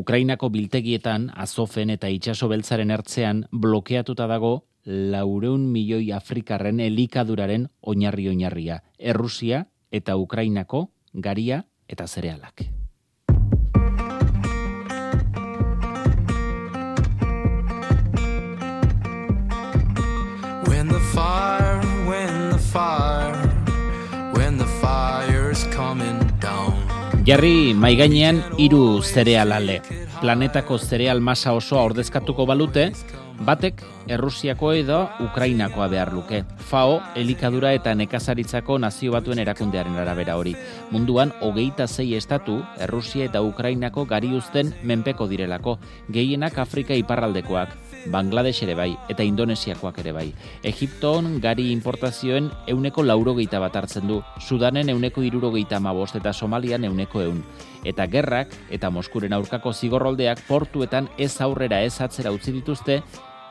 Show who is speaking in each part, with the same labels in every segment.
Speaker 1: Ukrainako biltegietan, Azofen eta itsaso beltzaren ertzean blokeatuta dago 400 milioi afrikarren elikaduraren oinarria, Errusia eta Ukrainako garia eta zerealak.
Speaker 2: When the fire's coming down.
Speaker 1: Jarri maigainean 3 zerealale. Planetako zereal masa osoa ordezkatuko balute, batek Errusiako edo Ukrainakoa behar luke. FAO elikadura eta nekazaritzako Nazio Batuen erakundearen arabera hori. Munduan 26 estatu Errusia eta Ukrainako gari uzten menpeko direlako, gehienak Afrika iparraldekoak. Bangladesh ere bai, eta Indonesiakoak ere bai. Egipton gari importazioen 180 hartzen du, Sudanen 175 eta Somalian 100. Eta gerrak eta Moskuren aurkako zigorroldeak portuetan ez aurrera ez atzera utzi dituzte,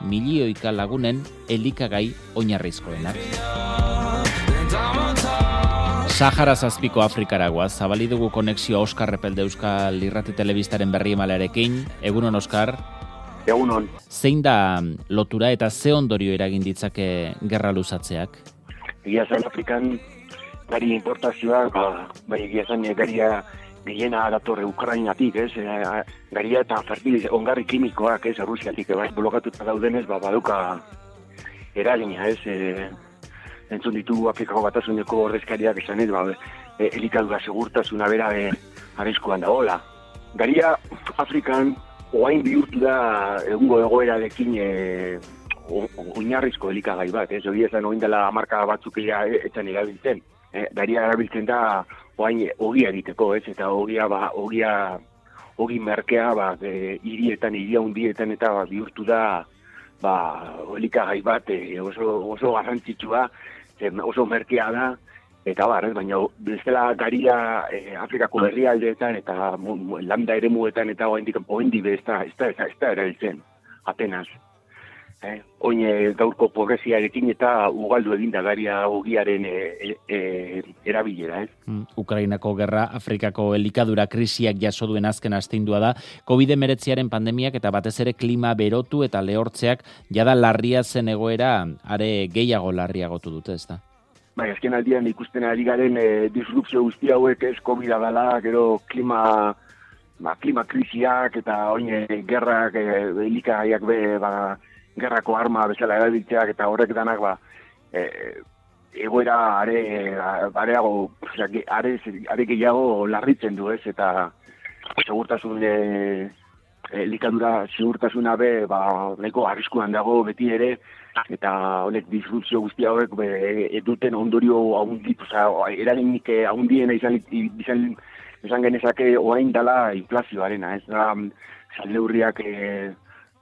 Speaker 1: milioika lagunen elikagai oinarrizkoenak. Sahara zazpiko Afrikaragoaz, zabali dugu konexioa Oskar Epelde Euskal Irrati Telebistaren berri emalearekin. Egunon, Oskar?
Speaker 3: Egunon.
Speaker 1: Zein da lotura eta ze ondorio eragin ditzake gerra luzatzeak?
Speaker 3: Egia zen Afrikan gari importazioa, bai egia zen garia gehiena datorre Ukrainatik, garia eta ongarri kimikoak, Errusiatik, blokatuta daudenez, baduka eragina, entzun ditu Afrikako Batasuneko ordezkariak esanez, elikadura segurtasuna bera arriskuan dagoela. Garia Afrikan oain bihurtu da egungo egoerarekin oinarrizko elikagai bat, hori ezan oin dela marka batzuk etan erabiltzen. Garia erabiltzen da oain ogia egiteko, eta ogi merkea hirietan, hiria hundietan eta bihurtu da elikagai bat oso garrantzitsua, oso merkea da, eta baina bestela garia Afrikako herrialdeetan eta landa eremuetan eta oendik ez da erabiltzen, apenas. Oin gaurko pobreziarekin eta ugaldu eginda garia ogiaren erabilera.
Speaker 1: Ukrainako gerra, Afrikako elikadura krisiak jaso duen azken astindua da, COVID-19 pandemiak eta batez ere klima berotu eta lehortzeak jada larria zen egoera, are gehiago larriagotu dute, ez da?
Speaker 3: Azken aldian ikusten ari garen disrupzio guzti hauek COVID-a dela, gero klima krisiak eta oin gerrak, elikagaiak gerrako arma bezala erabiltzeak eta horrek danak egoera are gehiago larritzen du, eta segurtasun elikadura segurtasuna nahiko arriskuan dago beti ere, eta honek disrupzio guzti hauek duten ondorio eraginik handiena izan genezake orain dela inflazioarena, ez da salneurriak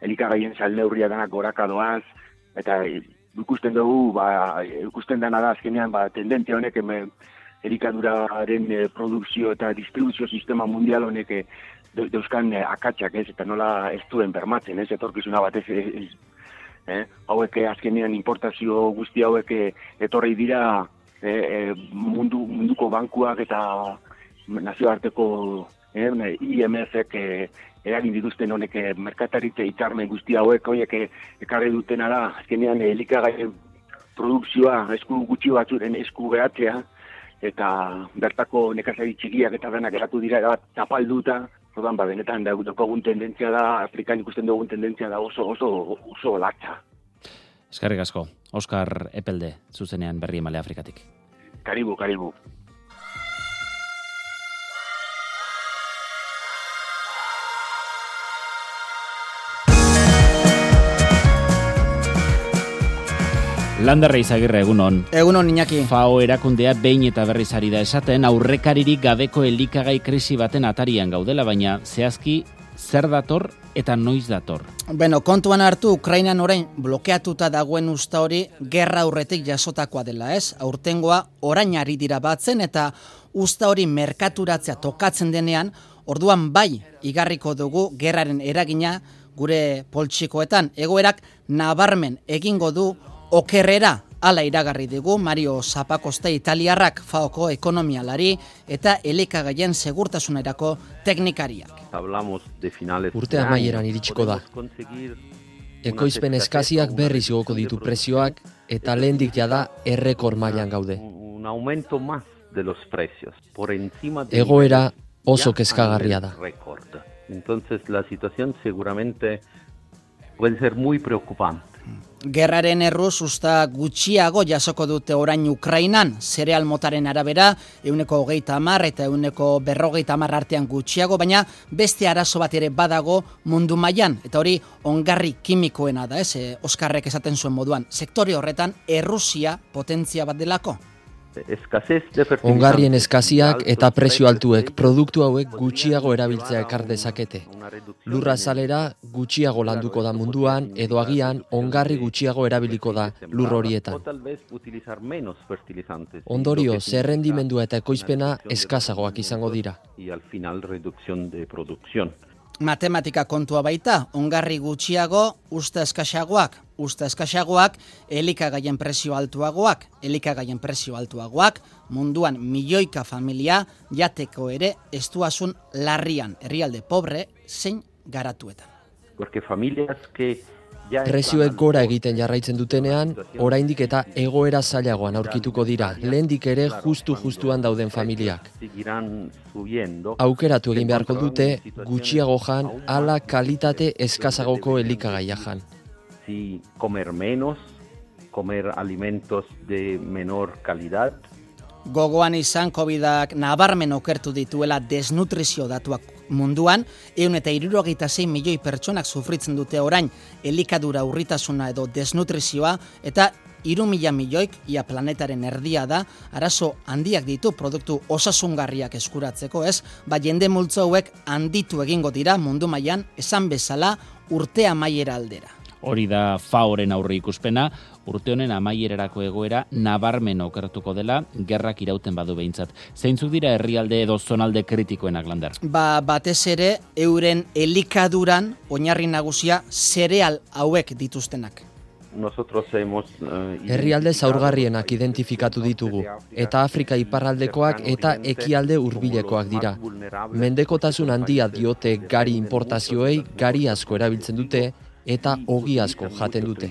Speaker 3: elikagaien salneurria danak goraka doaz, eta ikusten dugu, ikusten dena da azkenean tendentzia honek elikaduraren produkzio eta distribuzio sistema mundial honek dauzkan akatsak, eta nola ez duen bermatzen, etorkizuna batez hauek azkenean importazio guzti hauek etorri dira munduko bankuak eta nazioarteko IMF-ek eragin dituzten honek merkataritza hitzarmen guzti hauek horiek ekarri dutena da azkenean elikagaien produkzioa esku gutxi batzuren esku geratzea eta bertako nekazari txikiak eta denak geratu dira tapalduta. Orduan benetan daukagun tendentzia da, Afrikan ikusten dugun tendentzia da oso latza.
Speaker 1: Eskerrik asko, Oskar Epelde, zuzenean berri emale Afrikatik.
Speaker 3: Karibu.
Speaker 1: Landerra Izagirre, egunon.
Speaker 4: Egunon, Iñaki.
Speaker 1: FAO erakundea behin eta berriz ari da esaten, aurrekaririk gabeko elikagai krisi baten atarian gaudela, baina zehazki zer dator eta noiz dator?
Speaker 4: Kontuan hartu Ukrainan orain blokeatuta dagoen usta hori gerra aurretik jasotakoa dela, ez? Aurtengoa orain ari dira batzen eta usta hori merkaturatzea tokatzen denean, orduan bai igarriko dugu gerraren eragina gure poltsikoetan. Egoerak nabarmen egingo du okerrera Hala iragarri digu Mario Zappacosta italiarrak, FAOko ekonomialari eta elikagaien segurtasunerako teknikariak.
Speaker 5: Urte amaieran iritsiko da. Ekoizpen eskaziak berriz igoko ditu prezioak eta lehendik jada errekor mailan gaude. Egoera oso kezkagarria da.
Speaker 6: Entonces la situación seguramente puede ser muy preocupante.
Speaker 4: Gerraren erruz usta gutxiago jasoko dute orain Ukrainan, zereal motaren arabera 130 eta 150 artean gutxiago, baina beste arazo bat ere badago mundu mailan, eta hori ongarri kimikoena da, Oskarrek esaten zuen moduan. Sektore horretan Errusia potentzia bat delako.
Speaker 5: Ongarrien eskaziak eta prezio altuek produktu hauek gutxiago erabiltzea ekar dezakete. Lurra azalera gutxiago landuko da munduan edo agian ongarri gutxiago erabiliko da lur horietan. Ondorio, zerrendimendua eta ekoizpena eskazagoak izango dira.
Speaker 4: Matematika kontua baita, ongarri gutxiago, usta eskaxagoak, elikagaien prezio altuagoak, munduan milioika familia jateko ere estuasun larrian, herrialde pobre zein garatuetan.
Speaker 5: Prezioek gora egiten jarraitzen dutenean, oraindik eta egoera zailagoan aurkituko dira, lehendik ere justuan dauden familiak. Aukeratu egin beharko dute gutxiago jan, ala kalitate eskazagoko elikagaia jan.
Speaker 6: Comer alimentos de menor calidad.
Speaker 4: Gogoan izan COVID-ak nabarmen okertu dituela desnutrizio datuak munduan, 166 milioi pertsonak sufritzen dute orain elikadura urritasuna edo desnutrizioa, eta 3.000 milioik, ia planetaren erdia da, arazo handiak ditu produktu osasungarriak eskuratzeko, jende multzo hauek handitu egingo dira mundu mailan, esan bezala urte amaiera aldera.
Speaker 1: Hori da FAOren aurre ikuspena, urte honen amaierarako egoera nabarmen okertuko dela, gerrak irauten badu behintzat. Zeintzuk dira herrialde edo zonalde kritikoenak, Lander?
Speaker 4: Batez ere, euren elikaduran oinarri nagusia zereal hauek dituztenak.
Speaker 5: Herrialde zaurgarrienak identifikatu ditugu, eta Afrika iparraldekoak eta ekialde hurbilekoak dira. Mendekotasun handia diote gari importazioei, gari asko erabiltzen dute, eta ogi asko jaten dute.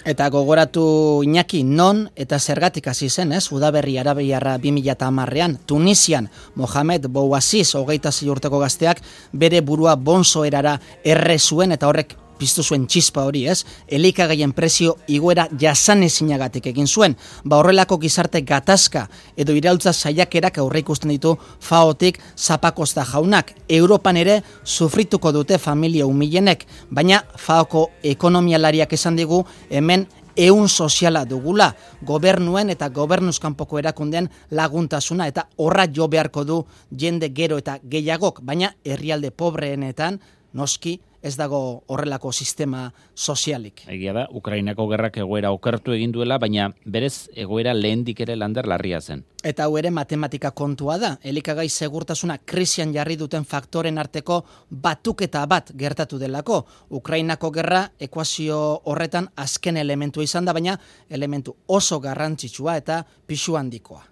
Speaker 4: Eta gogoratu Iñaki, non eta zergatik hasi zen, Udaberri arabiarra 2010ean, Tunisian, Mohamed Bouaziz, 26 urteko gazteak, bere burua bonzoerara erre zuen, eta horrek piztu zuen txispa hori, elikagaien prezio igoera jasanezinagatik egin zuen. Horrelako gizarte gatazka edo iraultza saiakerak aurre ikusten ditu FAOtik Zappacosta jaunak. Europan ere sufrituko dute familia umilenek, baina FAOko ekonomialariak esan digu hemen ehun soziala dugula, gobernuen eta gobernuzkanpoko erakundeen laguntasuna, eta horra jo beharko du jende gero eta gehiagok, baina herrialde pobreenetan noski ez dago horrelako sistema sozialik.
Speaker 1: Egia da, Ukrainako gerrak egoera okertu egin duela, baina berez egoera lehendik ere Lander larria zen.
Speaker 4: Eta hau ere matematika kontua da. Elikagai segurtasuna krisian jarri duten faktoren arteko batuketa bat gertatu delako. Ukrainako gerra ekuazio horretan azken elementua izan da, baina elementu oso garrantzitsua eta pisu handikoa.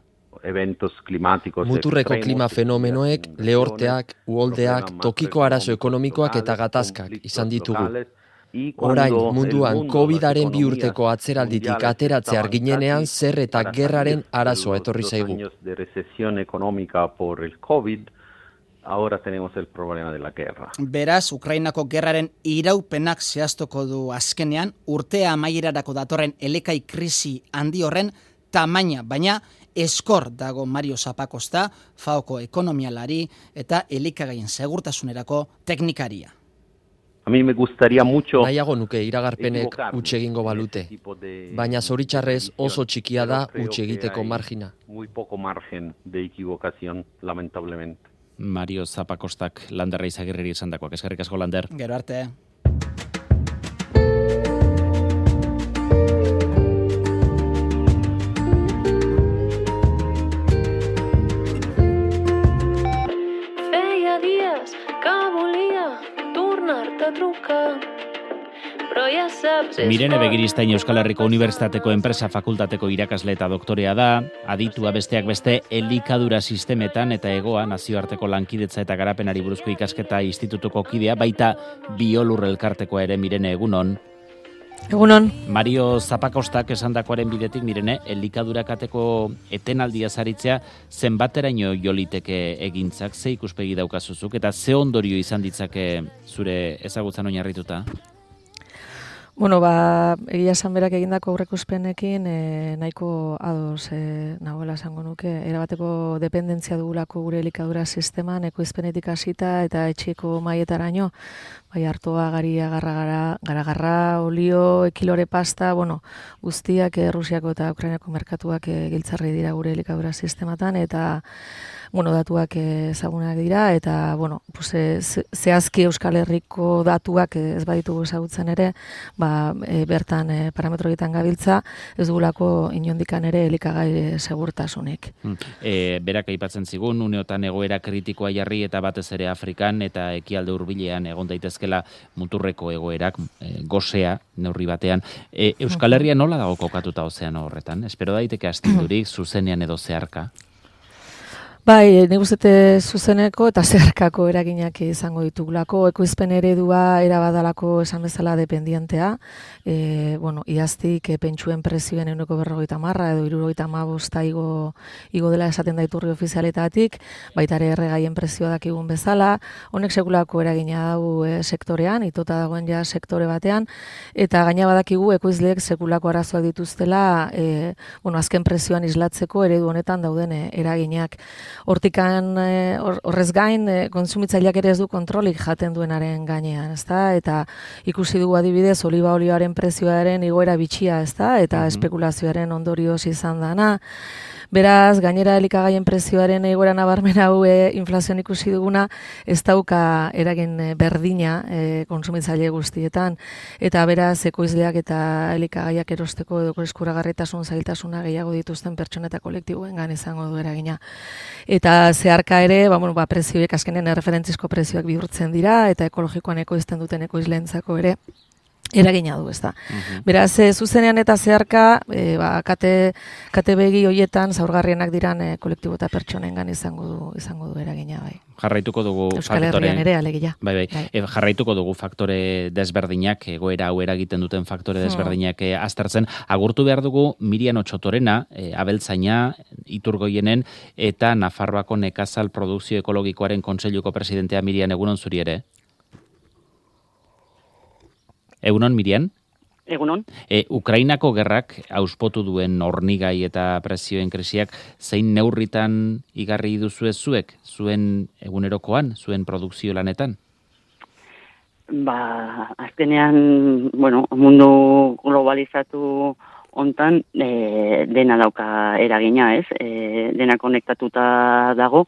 Speaker 5: Muturreko klima fenomenoek, lehorteak, uholdeak, tokiko arazo ekonomikoak eta gatazkak izan ditugu. Orain, munduan COVID-aren 2 urteko atzeralditik ateratzear ginenean zer eta gerraren arazoa etorri zaigu.
Speaker 4: Beraz, Ukrainako gerraren iraupenak zehaztuko du azkenean, urtea amaierarako datorren elekai krisi handi horren tamaina, baina eskor dago Mario Zappacosta, FAOko ekonomialari eta elikagaien segurtasunerako teknikaria.
Speaker 5: Nahiago nuke iragarpenek huts egingo balute, baina zoritxarrez oso txikia da huts egiteko margina.
Speaker 1: Mario Zappacostak Landerra Izagirreri esandakoak. Eskerrik asko, Lander.
Speaker 4: Gero arte.
Speaker 7: Feia dies que volia tornar-te a trucar,
Speaker 1: Mirene Begiristain Euskal Herriko Unibertsitateko Enpresa Fakultateko irakasle eta doktorea da, aditua besteak beste elikadura sistemetan eta egoa nazioarteko lankidetza eta garapenari buruzko ikasketa institutuko kidea, baita Biolur elkartekoa ere. Mirene, egunon.
Speaker 7: Egunon.
Speaker 1: Mario Zapakostak esandakoaren bidetik, Mirene, elikadura kateko etenaldia zaritzea zenbateraino joliteke egintzak, ze ikuspegi daukazuzuk, eta ze ondorio izan ditzake zure ezagutzan oinarrituta?
Speaker 7: Bueno, egia esan berak egindako aurreikuspenekin nahiko ados nagoela esango nuke. Erabateko dependentzia dugulako gure elikadura sisteman, ekoizpenetik hasita eta etxeko mailetaraino. Bai, artoa, garia, garagarra, olio, ekilore pasta, guztiak Rusiako eta Ukrainako merkatuak giltzarri dira gure elikadura sistematan, eta datuak ezagunak dira, eta zehazki Euskal Herriko datuak ez baditugu ezagutzen ere, bertan parametroetan gabiltza, ez dugulako inondikan ere elikagai segurtasunik.
Speaker 1: Berak aipatzen zigun, uneotan egoera kritikoa jarri eta batez ere Afrikan eta ekialde hurbilean egon daitezkela muturreko egoerak, gosea neurri batean. Euskal Herria nola dago kokatuta ozeano horretan? Espero daiteke astindurik, zuzenean edo zeharka?
Speaker 7: Bai, nik uste zuzeneko eta zeharkako eraginak izango ditugulako. Ekoizpen eredua erabadalako esan bezala dependientea. Iaztik pentsuen prezioen 150 edo 75 igo dela esaten da iturri ofizialetatik, baita ere erregaien prezioa dakigun bezala. Honek sekulako eragina dago sektorean, itota dagoen ja sektore batean, eta gaina badakigu ekoizleek sekulako arazoak dituztela, azken prezioan islatzeko eredu honetan dauden eraginak. Hortikan horrez gain kontsumitzaileak ere ez du kontrolik jaten duenaren gainean, ezta? Eta ikusi dugu adibidez oliba olioaren prezioaren igoera bitxia, ezta? Eta espekulazioaren ondorioz izan dana. Beraz, gainera elikagaien prezioaren igoera nabarmen hau inflazioan ikusi duguna, ez dauka eragin berdina kontsumitzaile guztietan, eta beraz ekoizleak eta elikagaiak erosteko edo eskuragarritasun zailtasuna gehiago dituzten pertsona eta kolektiboengan izango du eragina. Eta zeharka ere, prezioek azkenen erreferentzizko prezioak bihurtzen dira, eta ekologikoan ekoizten duten ekoizleentzako ere eragina du, ez da. Beraz, zuzenean eta zeharka, kate begi hoietan zaurgarrienak diran kolektibo eta pertsonengan izango du eragina, bai.
Speaker 1: Jarraituko dugu
Speaker 7: Euskal Herrian ere alegia.
Speaker 1: Bai. Jarraituko dugu faktore desberdinak, egoera hau eragiten duten faktore desberdinak aztertzen. Agurtu behar dugu Mirian Otsotorena, abeltzaina, Iturgoienen, eta Nafarroako Nekazal Produkzio Ekologikoaren Kontseiluko presidentea. Mirian, egunon zuri ere? Egunon, Mirian?
Speaker 8: Egunon.
Speaker 1: Ukrainako gerrak auspotu duen hornigai eta prezioen krisiak zein neurritan igarri duzue zuek, zuen egunerokoan, zuen produkzio lanetan?
Speaker 8: Azkenean, mundu globalizatu hontan dena dauka eragina, ez? Dena konektatuta dago,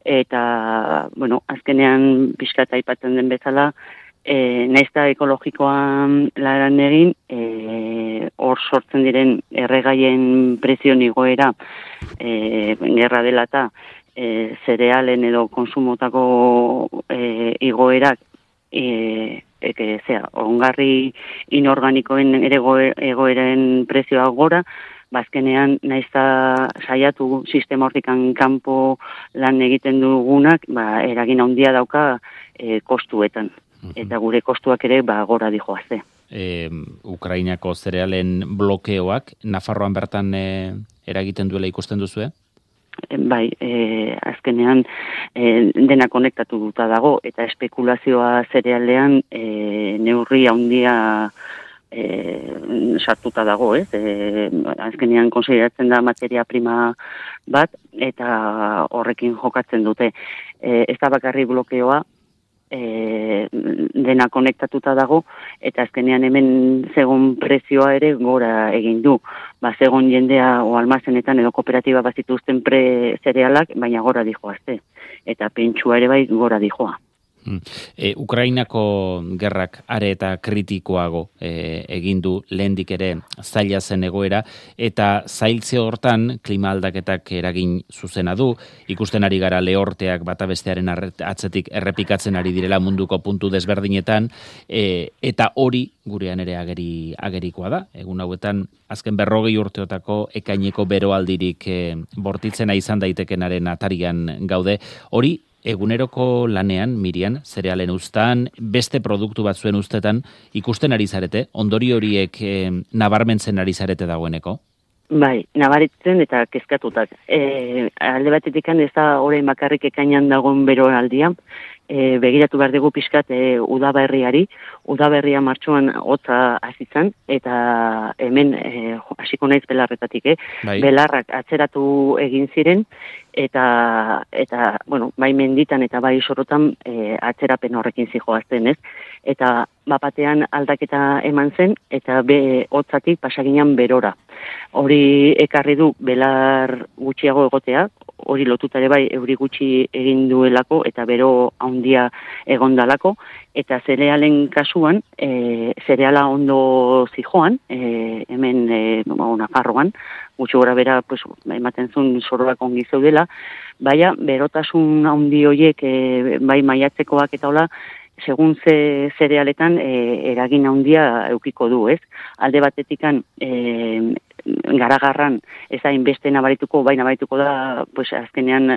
Speaker 8: eta, azkenean pixkat aipatzen den bezala, naizta ekologikoan laran egin, hor sortzen diren erregaien prezio igoera gerra dela eta zerealen edo konsumotako igoerak ongarri inorganikoen egoeren prezioa gora, bazkenean naizta saiatu sistema hortikan kanpo lan egiten dugunak, eragin handia dauka kostuetan. Eta gure kostuak ere gora dijoazte.
Speaker 1: Ukrainako zerealen blokeoak Nafarroan bertan eragiten duela ikusten duzue?
Speaker 8: Bai, azkenean dena konektatu duta dago, eta espekulazioa zerealean neurri handia sartuta dago, ez? Azkenean konsideratzen da materia prima bat, eta horrekin jokatzen dute. Ez da bakarri blokeoa, dena konektatuta dago, eta azkenean hemen segun prezioa ere gora egin du. Segun jendea o almazenetan edo kooperatiba bazituzten zerealak, baina gora dijoazte. Eta pentsua ere bai gora dijoa.
Speaker 1: Ukrainako gerrak are eta kritikoago egin du lehendik ere zaila zen egoera, eta zailtze hortan klima aldaketak eragin zuzena du, ikusten ari gara lehorteak bata bestearen atzetik errepikatzen ari direla munduko puntu desberdinetan, eta hori gurean ere agerikoa da. Egun hauetan, azken 40 urteotako ekaineko beroaldirik bortitzena izan daitekenaren atarian gaude. Hori, eguneroko lanean, Mirian, zerealen uztan, beste produktu batzuen ustetan, ikusten ari zarete, ondori horiek nabarmentzen ari zarete dagoeneko?
Speaker 8: Bai, nabaritzen eta kezkatutak. Alde batetik ez da orain bakarrik ekainan dagoen beroaldian, begiratu behar dugu pixkat udaberria martxoan hotza hazitzen, eta hemen hasiko naiz belarretatik,
Speaker 1: Bai.
Speaker 8: Belarrak atzeratu egin ziren, eta bueno, bai menditan eta bai sorotan atzerapen horrekin zijoazten, ez? Eta bapatean aldaketa eman zen, eta hotzatik pasaginan berora. Hori ekarri du belar gutxiago egotea, hori lotuta ere bai euri gutxi egin duelako eta bero handia egondalako, eta zerealen kasuan, zereala ondo zijoan, hemen Nafarroan, gutxi gora bera ematen zuen soroak ongi zeudela, baina berotasun handi horiek bai maiatzekoak eta hola, segun zerealetan eragin handia eukiko du, ez? Alde batetikan garagarran ez da inbeste nabarituko, bai nabarituko da, azkenean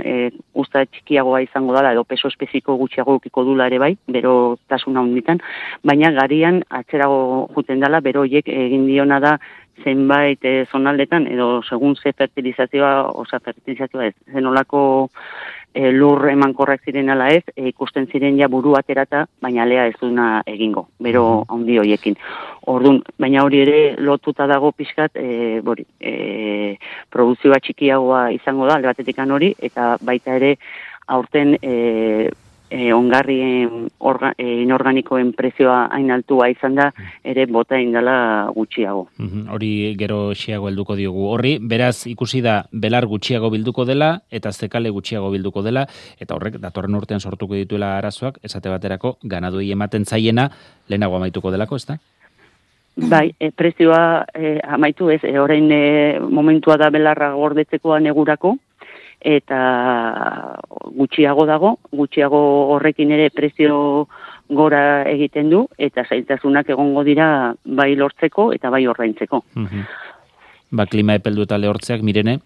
Speaker 8: usta txikiagoa izango dela, edo peso espeziko gutxiago eukiko dula ere bai, bero tasuna handitan, baina garian atzerago juten dela, bero horiek egin diona da zenbait zonaldetan, edo segun ze fertilizazioa ez, zenolako lur emankorrak ziren ala ez, ikusten ziren ja buru aterata, baina lea ez duna egingo, bero handi horiekin. Orduan, baina hori ere lotuta dago pixkat, produzioa txikiagoa izango da, alde batetikan hori, eta baita ere aurten ongarrien inorganikoen prezioa hain altua izan da, ere bota indala gutxiago.
Speaker 1: Hori gero xiago helduko diogu. Horri, beraz ikusi da belar gutxiago bilduko dela, eta zekale gutxiago bilduko dela, eta horrek datorren urtean sortuko dituela arazoak, esate baterako ganaduei ematen zaiena lehenago amaituko delako, ezta?
Speaker 8: Bai, prezioa amaitu ez, orain momentua da belarra gordetzeko negurako, eta gutxiago horrekin ere prezio gora egiten du, eta zailtasunak egongo dira bai lortzeko eta bai ordaintzeko.
Speaker 1: Klima epeldu eta lehortzeak, Mirene,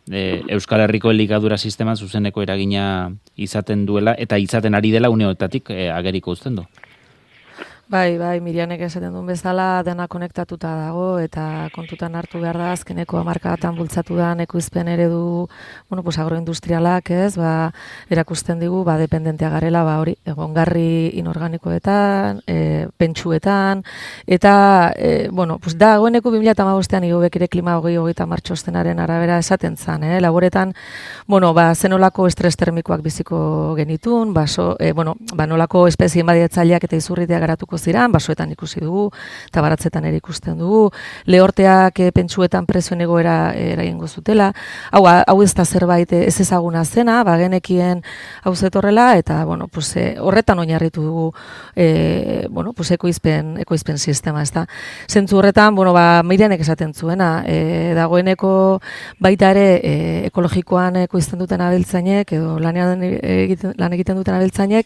Speaker 1: Euskal Herriko elikadura sisteman zuzeneko eragina izaten duela, eta izaten ari dela uneotatik ageriko uzten du.
Speaker 7: Bai, Mirianek esaten duen bezala, dena konektatuta dago, eta kontutan hartu behar da, azkeneko hamarkadatan bultzatu da ekoizpen eredu, agroindustrialak, ez, erakusten digu, dependentea garela, hori, egongarri inorganikoetan, pentsuetan, eta, dagoeneko 2015an igobek ere klima 2030 martxostenaren arabera esaten zan, laboretan, zenolako estres termikoak biziko genitun, nolako espezien badietzaileak eta izurritea garatuko ziran, basoetan ikusi dugu, eta baratzetan ere ikusten dugu, lehorteak pentsuetan prezioen egoera eragingo zutela, hau ez da zerbait ez ezaguna zena, genekien hau zetorrela, eta horretan oinarritu dugu ekoizpen sistema, ez da. Zentzu horretan, Mirianek esaten zuena, dagoeneko baita ere ekologikoan ekoizten duten abeltzainek, edo lan egiten duten abeltzainek,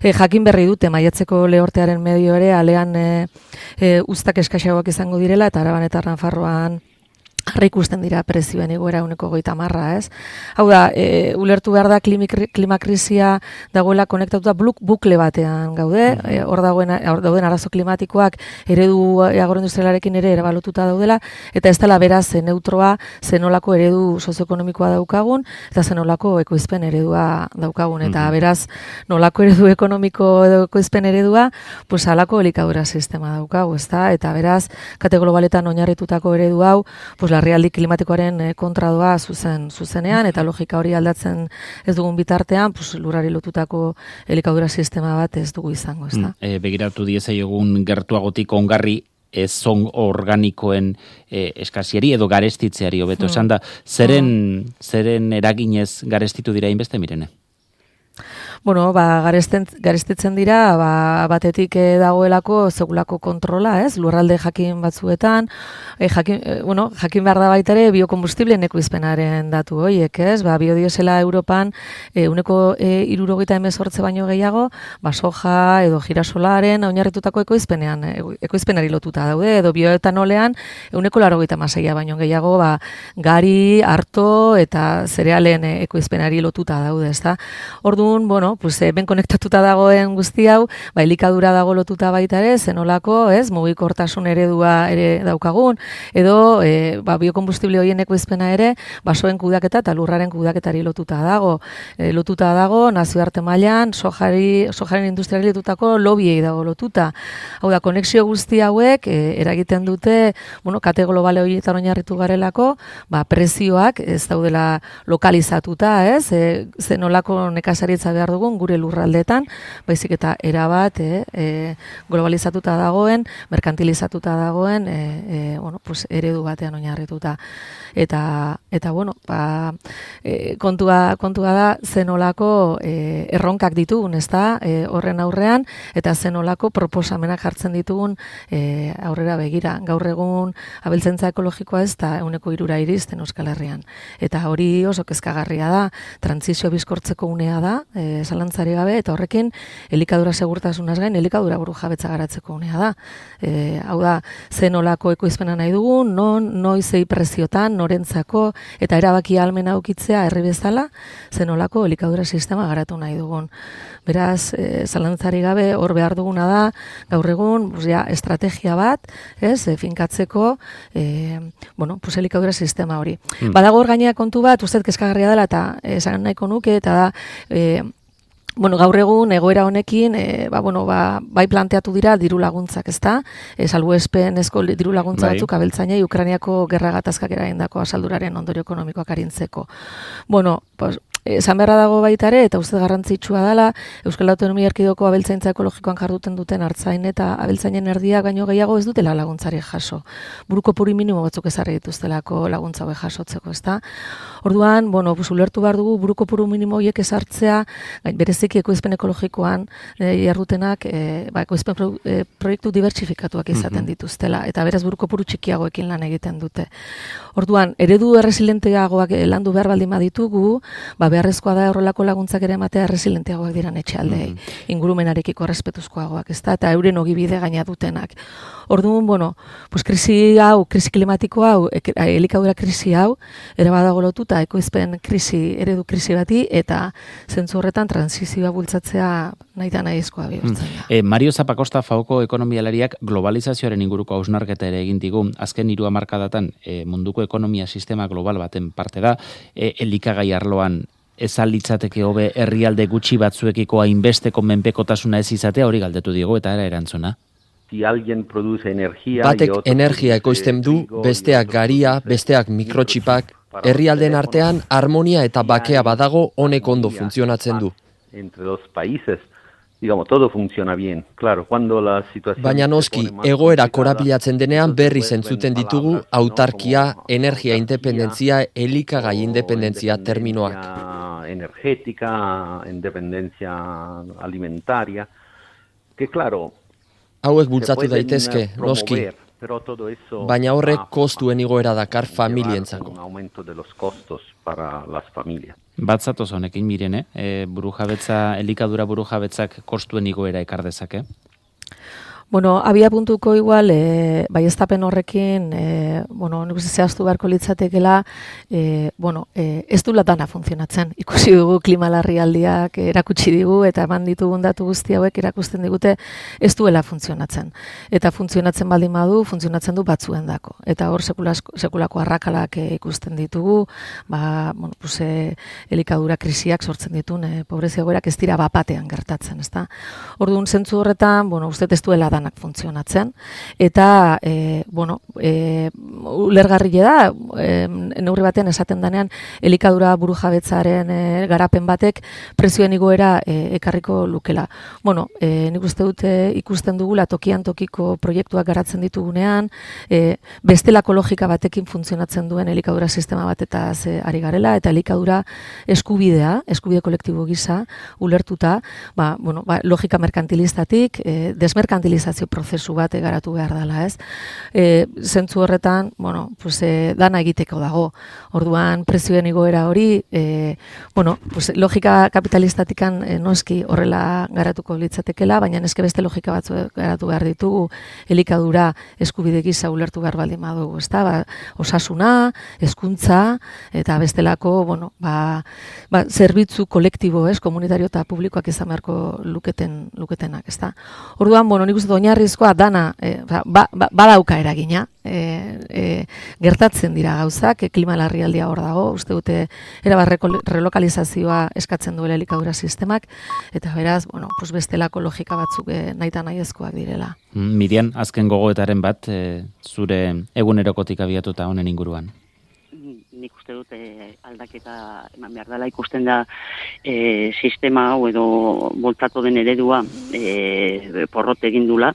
Speaker 7: jakin berri dute maiatzeko lehortearen medio ere, alean uztak eskaxagoak izango direla, eta Araban eta Nafarroan harri ikusten dira prezioen igoera 130, ez? Hau da, ulertu behar da klimakrisia dagoela konektatuta bukle batean gaude, hor dauden arazo klimatikoak eredu agroindustrialarekin ere erabalotuta daudela, eta ez dela beraz neutroa zenolako eredu sozioekonomikoa daukagun, eta zenolako ekoizpen eredua daukagun, eta beraz nolako eredu ekonomiko edo ekoizpen eredua, halako elikadura sistema daukagu, ezta? Eta beraz, kate globaletan oinarritutako eredu hau, larrialdi klimatikoaren kontra doa zuzenean, eta logika hori aldatzen ez dugun bitartean, lurrari lotutako elikadura sistema bat ez dugu izango, ezta?
Speaker 1: Begiratu diezaiogun gertuagotik ongarri ezon organikoen eskasiari edo garestitzeari hobeto esan da, zeren eraginez garestitu dira inbeste, Mirene?
Speaker 7: Bueno, garestitzen dira, batetik dagoelako segulako kontrola, ez? Lurralde jakin batzuetan, jakin behar da baita ere biokombustibleen ekoizpenaren datu horiek, ez? Biodiesela Europan uneko 78 baino gehiago, soja edo girasolaren oinarritutako ekoizpenari lotuta daude, edo bioetanolean uneko 86 baino gehiago, gari, arto eta zerealen ekoizpenari lotuta daude, ezta? Orduan, ben konektatuta dagoen guzti hau, elikadura dago lotuta baita ere, zenolako, ez, mugikortasun eredua ere daukagun, edo biokombustible horien ekoizpena ere, basoen kudaketa eta lurraren kudaketari lotuta dago. Lotuta dago, nazioarte mailan, sojaren industriari lotutako lobiei dago lotuta. Hau da, konexio guzti hauek eragiten dute, kate globale horietan oinarritu garelako, prezioak ez daudela lokalizatuta, ez, zenolako nekazaritza behar dugu gure lurraldeetan, baizik eta erabat globalizatuta dagoen, merkantilizatuta dagoen eredu batean oinarrituta. Eta kontua da zenolako erronkak ditugun, ezta, horren aurrean, eta zenolako proposamenak jartzen ditugun aurrera begira. Gaur egun abeltzaintza ekologikoa ez da 3% iristen Euskal Herrian. Eta hori oso kezkagarria da, trantsizio bizkortzeko unea da, zalantzari gabe, eta horrekin elikadura segurtasunaz gain, elikadura burujabetza garatzeko unea da. Hau da, zenolako ekoizpena nahi dugun, noizei preziotan, norentzako, eta erabaki ahalmena aukitzea herri bezala, zenolako elikadura sistema garatu nahi dugun. Beraz, zalantzari gabe, hor behar duguna da, gaur egun, estrategia bat, finkatzeko, elikadura sistema hori. Badago hor gainea kontu bat, ustez kezkagarria dela, eta esan nahiko nuke, eta da, gaur egun egoera honekin, bai planteatu dira diru laguntzak, ezta? Salbuespenezko diru laguntza batzuk abeltzainei Ukrainiako gerra gatazkak eragindako asalduraren ondorio ekonomikoak arintzeko. Esan beharra dago baita ere, eta uste garrantzitsua dela, Euskal Autonomia Erkidegoko abeltzaintza ekologikoan jarduten duten artzain eta abeltzainen erdiak baino gehiago ez dutela laguntzari jaso. Buruko puri minimo batzuk ezarri dituztelako laguntza hauek jasotzeko, ezta? Orduan, ulertu behar dugu buruko puru minimo horiek ezartzea, bereziki ekoizpen ekologikoan jarrutenak, ekoizpen proiektu dibertsifikatuak izaten dituztela, eta beraz buruko puru txikiagoekin lan egiten dute. Orduan, eredu erresilenteagoak landu behar baldin baditugu, beharrezkoa da horrelako laguntzak ere ematea erresilenteagoak diran etxealdeei, ingurumenarekiko errespetuzkoagoak, ezta, eta euren ogibide gaina dutenak. Orduan, krisi klimatiko hau, elikadura krisi hau, ere badago lotuta ekoizpen eredu krisi bati, eta zentzu horretan transizioa bultzatzea nahita nahizkoa bihurtzen da.
Speaker 1: Mario Zapakosta FAOko ekonomialariak globalizazioaren inguruko hausnarketa ere egin digu, azken 3 hamarkadatan munduko ekonomia sistema global baten parte da, elikagai arloan ez litzateke hobe herrialde gutxi batzuekiko hainbesteko menpekotasuna ez izatea, hori galdetu diego eta erantzuna.
Speaker 5: Batek energia ekoizten du, besteak garia, besteak mikrotxipak, herrialden artean harmonia eta bakea badago honek ondo funtzionatzen du. Baina noski, egoera korapilatzen denean berri zentzuten ditugu autarkia, energia independentzia, elikagai independentzia terminoak.
Speaker 6: Energética, independencia alimentaria, que claro,
Speaker 5: hauek bultzatu daitezke, noski, baina horrek kostuen igoera dakar familientzako.
Speaker 1: Batzatoz honekin miren, burujabetza, elikadura burujabetzak kostuen igoera ekar dezake?
Speaker 7: Abia puntuko igual, baieztapen horrekin, nik zehaztu beharko litzatekela, ez du dana funtzionatzen. Ikusi dugu klima larrialdiak erakutsi digu, eta eman ditugun datu guzti hauek erakusten digute, ez duela funtzionatzen. Eta funtzionatzen baldin badu, funtzionatzen du batzuen dako. Eta hor sekulako arrakalak ikusten ditugu, elikadura krisiak sortzen ditun, pobrezia egoerak ez dira bapatean gertatzen, ezta? Orduan, zentzu horretan, uste ez duela danak funtzionatzen. Eta, ulergarrile da, neurri batean esaten denean, elikadura burujabetzaren garapen batek prezioen igoera ekarriko lukela. Nik uste dute ikusten dugula tokian tokiko proiektuak garatzen ditugunean, bestelako logika batekin funtzionatzen duen elikadura sistema batetaz ari garela, eta elikadura eskubide kolektibo gisa, ulertuta, logika merkantilistatik, desmerkantilizazio prozesu bat garatu behar dela, ez? Zentzu horretan, dana egiteko dago. Orduan, prezioen igoera hori, logika kapitalistatikan noski horrela garatuko litzatekela, baina eske beste logika batzu garatu behar ditugu, elikadura eskubide gisa ulertu behar baldin badugu, ezta? Osasuna, hezkuntza eta bestelako, zerbitzu kolektibo, komunitario eta publikoak izan beharko luketenak, ezta? Orduan, nik uste oinarrizkoa dana badauka eragina, gertatzen dira gauzak, klima larrialdia hor dago, uste dute relokalizazioa eskatzen duela elikadura sistemak, eta beraz, bestelako logika batzuk nahita nahiezkoak direla.
Speaker 1: Mirian, azken gogoetaren bat, zure egunerokotik abiatuta honen inguruan?
Speaker 8: Nik uste dut aldaketa eman behar dela ikusten da sistema hau edo boltatu den eredua porrot egin dula,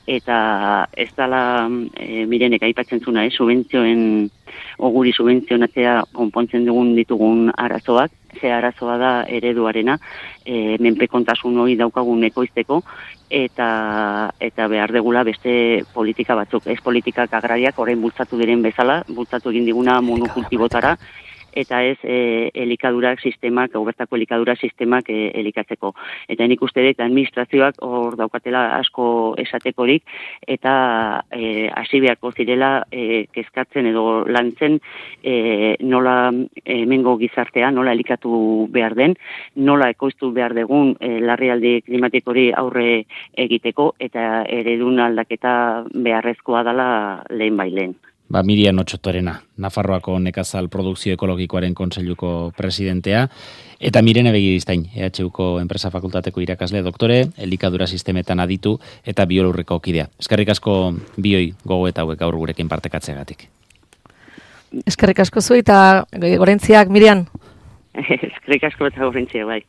Speaker 8: eta ez dela Mirenek aipatzen zuna, guri subentzionatzea konpontzen ditugun arazoak, ze arazoa da ereduarena, menpekontasun hori daukagun ekoizteko, eta behar degula beste politika batzuk. Ez politikak agrariak orain bultzatu diren bezala, bultzatu egin diguna monokultibotara, eta ez elikadura sistemak, bertako elikadura sistemak elikatzeko. Eta nik uste dut administrazioak hor daukatela asko esatekorik, eta hasi beharko zirela kezkatzen edo lantzen nola hemengo gizartea, nola elikatu behar den, nola ekoiztu behar degun larrialdi klimatikori aurre egiteko, eta eredun aldaketa beharrezkoa dela lehen bailen.
Speaker 1: Mirian Otsotorena, Nafarroako nekazal produkzio ekologikoaren kontseiluko presidentea, eta Mirene Begiristain, EHUko enpresa fakultateko irakasle doktore, elikadura sistemetan aditu eta biolurreko kidea. Eskerrik asko bioi gogoeta hauek gaur gurekin partekatzeagatik.
Speaker 7: Eskerrik asko zu eta gorentziak, Mirian.
Speaker 8: Eskerrik asko eta gorentziak, bai.